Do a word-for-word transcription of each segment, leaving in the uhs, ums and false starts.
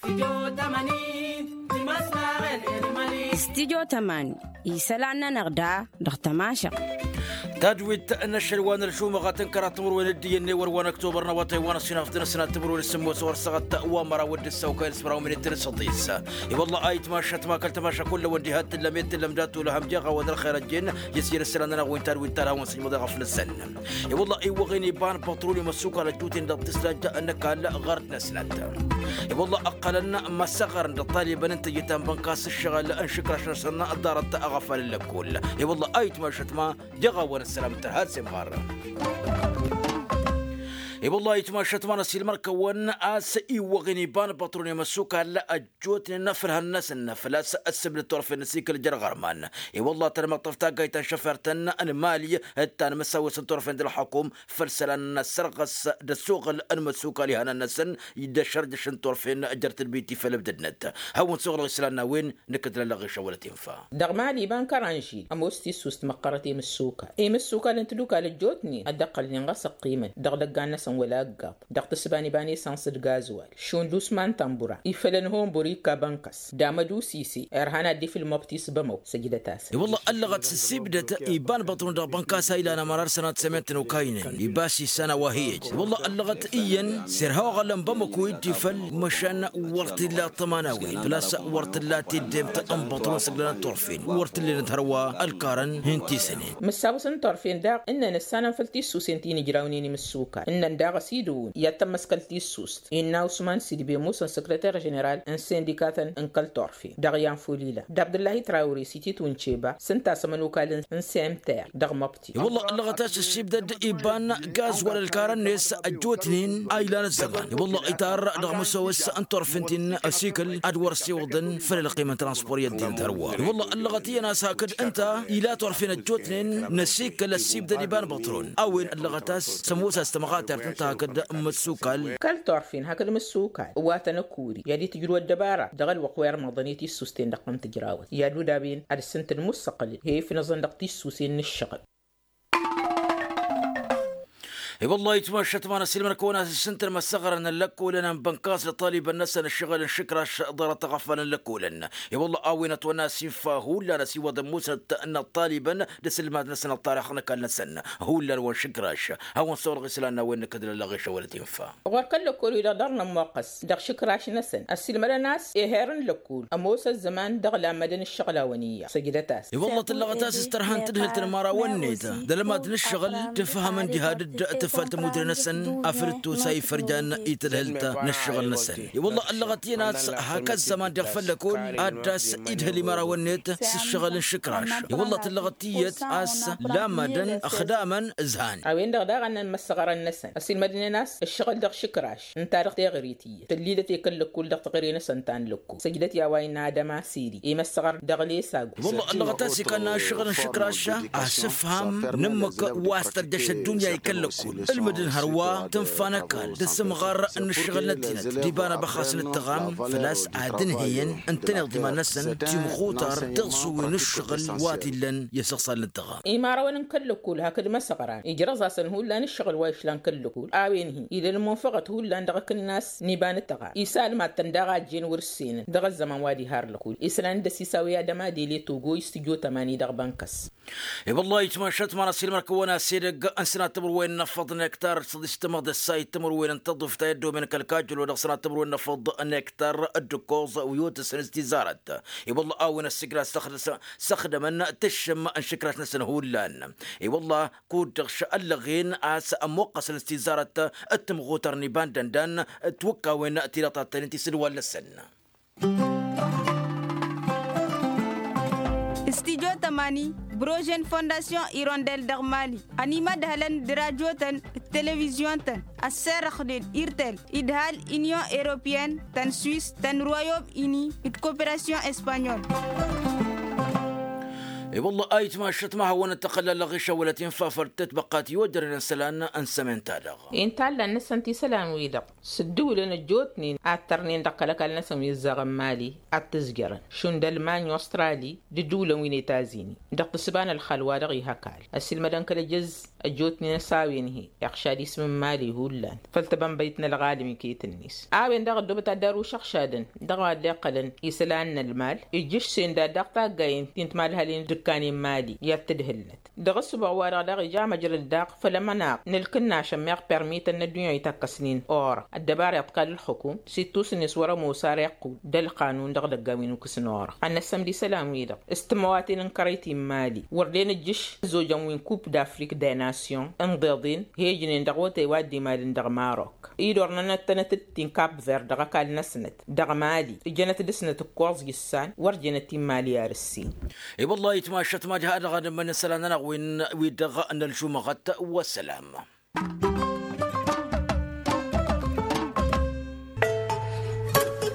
Studyo tămani isălan-nănăɣ da dăɣ-tămašăɣ. Tadwit n-ašăl wa n-ălžumăɣ a tăn-kăraḍ timǝrwen d-iyyăn n-ewăr wa n-ăktobăr n-awătay wa n-ăsinaf d-inăssinat timǝrwen s-sǝmmos wăr săɣăt wa măraw d-ǝssaw kayăl s-măraw minit n-săḍis. I-wălla ayǝtmašăt ma kăl-tămaša kullăwăn diha t-tǝllăm i-t-tǝllăm dat-olăhăm jeɣ-awăn ălxer ăjjeen i-s jere isălan-nănăɣ wi n-tadwit ta d-hawăn-sǝjmăḍ i-ɣăf-năsăn. I-wălla iwwăɣen iba n-pătrul i-măssukal ăjjuten dăɣ-tǝslajja n-ăkall ɣur-năsnăt. I-wălla ǝqqălăn măssăɣărăn d-ăṭṭalibăn n-tejǝt ta n-bănkas ǝššăɣǝl n-išǝkraš-năsăn ăḍḍarăt aɣăfal n-lăkkol. I-wălla a itmašăt ma jeɣ-awăn ăssălam tărha s-imɣarrăn. I-wălla a itmašăt ma n-ăsilmăr-kăwăn a-s iwwăɣen iba n-pătrul i-măssukal ăjjootnen făll-hăn-năsăn făl-a-s ăssibdăt turfen n-asikǝl jer-ɣărman. I-wălla tănmăṭṭăf taggayt ta n-šăfert n-mali d-tanmǝsawes n-turfen d-ălxăkum făll-isălan n-asărɣăs d-ăssuɣǝl n-imăssukal ihănan-năsăn d-ašărjăš n-turfen jer-tǝlbit ti făll-ǝbdădnăt. Hawăn-suɣǝlăɣ isălan n-a-wen nǝkkǝdlălăɣ išăwălăt infa. Dăɣ-mali iba n-kăranžil ămoos tissust măqqărăt i-imǝssukal i-imǝssukal n-tadukal ăjjootnen a dd-ăqqălnen ɣas ăqqimăn dăɣ-idăggan-năsăn wăla ăggaḍ dăɣ-tǝsba n-iba n-esăns d-gazwal šund usman tambura ifălăn honbur ikka bănkas d-amădu sise irhan ad-dd-ifǝl măbtis bămăw. Săjdăt-asăn. I-wălla ăllăɣăt s-ăssibdăt iba n-băṭrun dăɣ-bănkas a ilan ămărar sănat sămen-tăn okaynen iba s-issan a-wa hi-ăj. I-wălla ăllăɣăt iyyăn s-irha oɣălăn bămăko i-dd-ifăl măšan wăr t-illa ăṭṭăma n-a-wen făl-a-s wăr t-illa tiddemt n-băṭrun săglănăt turfen wăr t-ǝllenăt hărwa ălkarăn hin-tisănen. Mǝssawăs n-turfen daɣ ǝnnăn ǝssanăn făll-tissusen ti n-ijrawnen imǝssukan ǝnnăn daɣ ăsidǝwǝn i-ad-tămmăskăl tissust innă usman sidbe musăn săkrăter ženeral n-sindikatăn n-kăl-turfen dăɣ-i anfulila d-abdǝllahi trawre s-ititwǝn ceba s-ǝnta a-s ămănukal n-semter dăɣ-măbti. I-wălla ăllăɣăt a-s ăssibdăd iba n-gaz wăla ălkarăn-net ăjjootnen a ilan ăzzăman i-wălla itarra dăɣ-măsowăs n-turfent-in ăsikǝl ad-wăr-ăssiwăḍăn făll-ălqim n-transpor i-ăddinăt hărwa. I-wălla ăllăɣăt iyyăn a-s hakd ǝnta ila turfen ăjjootnen n-ăsikǝl ăssibdăd iba n-băṭrun a-wen ăllăɣăt a-s sămoos a-s tămɣatert ǝnta hakd n-imǝssukal. Kăl-turfen hakd imǝssukal ǝwwatăn ăkuri i-ad-itǝjrǝw ăddăbara dăɣ-ălwăqq wa irmăḍăn i-tissusten dăɣ-tăn-tǝjrawăt i-ad-udaben ad-ǝssǝntǝl musăqqǝlǝd he-ifnăẓăn dăɣ-tissusen n-ǝššăɣǝl. I-wăllah itmašăt ma n-ăsilmăn kăwăn-as ǝssǝntăn măssăɣrăn n-lăkkolăn n-bănkas d-ăṭṭalibăn-năsăn ǝššăɣǝl n-išǝkraš ḍarăt aɣăfal n-lăkkolăn. I-wăllah a-wen ătwănna a-s infa hullan ăsiwăḍăn musnăt n-ăṭṭalibăn d-asǝlmad-năsăn ăṭṭarix n-ăkall-năsăn hullan wa n-išǝkraš. Hawăn-săwrăɣ isălan n-a-wen nǝkkădlălăɣ išăwălăt infa. Ɣur-kăl-lăkkol-wi-dăɣ dăr-nămmoqqăs dăɣ-išǝkraš-năsăn ăsilmădăn a-s eher n-lăkkol ămoos ăzzăman dăɣ-lammădăn ǝššăɣlawen iyyăḍ săjdăt-as. I-wăllah tǝllăɣăt a-s s-tărha n-tadhǝlt n-imărawăn-net d-almad n-ǝššăɣǝl tǝfhămăn diha dd-tǝfal tămudre-năsăn afăl d-tosa ifărjan i-tadhǝlt n-ǝššăɣǝl-năsăn. I-wăllah ăllăɣăt iyyăn a-s hak ăzzăman deɣ făll-lăkol ad-dd-as-idhǝl imărawăn-net s-ǝššăɣǝl n-išǝkraš. I-wăllah tǝllăɣăt tiyyăt a-s lammădăn ăxdamăn ǝzhan. A-wen-dăɣ daɣ a n-măssăɣrăn-năsăn ăsilmădnen a-s ǝššăɣǝl dăɣ-išǝkraš ǝnta-dăɣ teɣăre tiyyăt tǝllidăt i-kăl-lăkkul dăɣ-teɣăre-năsăn ta n-lăkkul săjdăt i-a-wa innă adăma siri i-măssăɣăr dăɣ-lesagu. Wăllah ăllăɣăt a-s ikănna ǝššăɣǝl n-išǝkraš asǝfham n-ǝmmǝk wa s-tărjăš ăddunya i-kăl-lăkkul ǝlmǝdăn hărwa tǝnfa n-ăkall d-asǝmɣar n-ǝššăɣǝl n-ăddinăt d-iba n-abăxxas n-ǝttăɣam făl-a-s ad-ǝnhǝyăn ǝntăneḍ d-iman-năsăn timxutar tiḍsuwen n-ǝššăɣǝl wa t-illăn i-asăɣsal n-ǝttăɣam. Imărawăn n-kăl-lăkkul hakd măsăɣran ijrăẓ-asăn hullan ǝššăɣǝl wa išlan kăl-lăkkul a-wen-hi ila ălmunfăɣăt hullan dăɣ-akǝnnas n-iba n-ǝttăɣam isalmad-tăn daɣ a ăjjeen wăr-ǝssenăn dăɣ-ăzzăman wa diha ăr-lăkkul isălan d-ăsisaw i-ad-ămadele togo i-s tǝjo tămani dăɣ-bănkăs. I-wăllah itmašăt ma n-ăsilmăr-kăwăn-as edăgg n-sănat timǝrwen n-afăḍ n-ektar d-săḍis tămăḍ d-ăssay timǝrwen n-taḍuft a i-ăddomen kăl-kajjălo dăɣ-sănat timǝrwen n-afăḍ n-ektar d-ǝkkoẓ wi otăsăn s-tizarăt. I-wăllah a-wen ăssigra s-ăxdămăn tǝššǝm n-išǝkraš-năsăn hullan. I-wăllah kud-dăɣ šăllăɣen a-s ămmuqqăsăn s-tizarăt d-timɣutăr n-iba n-dăndan d-tiwǝkkawen tilaṭattănen ti s-ǝlwal-năsăn. Studyo tămani brožen fondasyon irondel dăɣ-mali ănimădhălăn d-rajotăn d-televizyon-tăn ăsserăxnen irtel idhal inyon europeyăn tăn swis tăn royom ini d-koperasyon espanyol. I-wălla a itmašăt ma hawăn-dd-tăxăllălăɣ išăwălăt infa făll-tetbăqqat i-ojărăn isălan n-sămen-ta-dăɣ. Inta allan-năsăn ti isălan-wi-dăɣ s-ǝddǝwǝlăn ăjjootnen ad-tărnen dăɣ-kăl-ăkall-năsăn wi ǝzzaɣăn mali ad-t-ǝzjărăn šund ălmany ostrali d-ǝddǝwǝlăn wi n-etazini dăɣ-tǝssǝba n-ălxal wa dăɣ-ih ăkall ăssiilmădăn kăl-ejăzz. Ăjjootnen s-a-wen-hi iɣšad ism n-imali hullan făll-tabănbăyt n-ălɣalăm iket-net. A-wen-dăɣ ăddoobăt ad-dd-arǝw išăɣšadăn dăɣ-wa dd-iqqălăn isălan n-ălmal, ijjǝšsen dat daɣ taggayen ti n-timalhalin d-ǝkkan i-imali i-ad-tǝdhǝlnăt. Dăɣ-ǝssǝboɣ-wa-dăɣ daɣ ija măjrăd daɣ făll-amănaq n-ǝlkǝnnašăn meɣ permităn n-ăddunya itakkăsnen or ăddăbara iḍkal ǝlxǝkum s-ittusǝnnes wăr-ămoos ar iqqǝw d-ălqanun dăɣ-idăggan wi n-ukǝsnăɣ. Ad-năssăm d-isălan-wi-dăɣ s-tǝmmăwaten n-kărăy ti n-imali wăr dd-enǝjjǝš ăzzojăn wi n-kup d-afrik d-e nasyon ǝnḍeḍen hejnen dăɣ-wătay wa dd-imalăn dăɣ-marok. Idornănăt-tănăt-dd ti n-kap ver dăɣ-ăkall-năsnăt dăɣ-mali ǝjănăt dăɣ-snăt ǝkkoẓ issan wăr jănăt i-imali ar ǝssin. I-wăllah itmašăt ma diha-dăɣ ad-ămmănăn isălan-nănăɣ wi-dăɣ n-ălžumăɣăt. Wăssălam.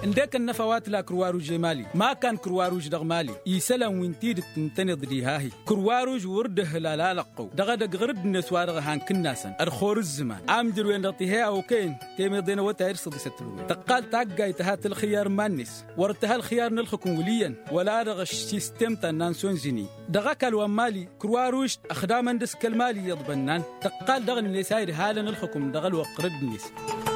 Ǝndek ănnăfa wa tǝla kǝrwaruž i-mali ma ăkkan kǝrwaruž dăɣ-mali isălan wi n-tidǝt ǝntăneḍ diha-hi. Kǝrwaruž wăr dd-ǝhǝlal alăqqăw dăɣ-edăgg ɣǝr-dd-net wa dăɣ-ăhan kǝnnasăn ădxor ǝzzǝman amjăr-wen-dăɣ tiheya okăyăn temeḍe n-awătay d-săḍisăt tǝlwǝy tăqqal taggayt tǝha tǝlxǝyyar iman-net. Wăr tǝha ălxǝyyar n-ălxǝkǝm wǝl' iyyăn wăla dăɣ-ăšsistem ta n-nansyon zǝni. Dăɣ-ăkall wa n-mali kǝrwaruž ăxdamăn dăɣ-s kăl-mali iyyăḍ bănnan tăqqal dăɣ-net a idhalăn ălxǝkǝm dăɣ-ălwăqq ɣǝr-dd-net.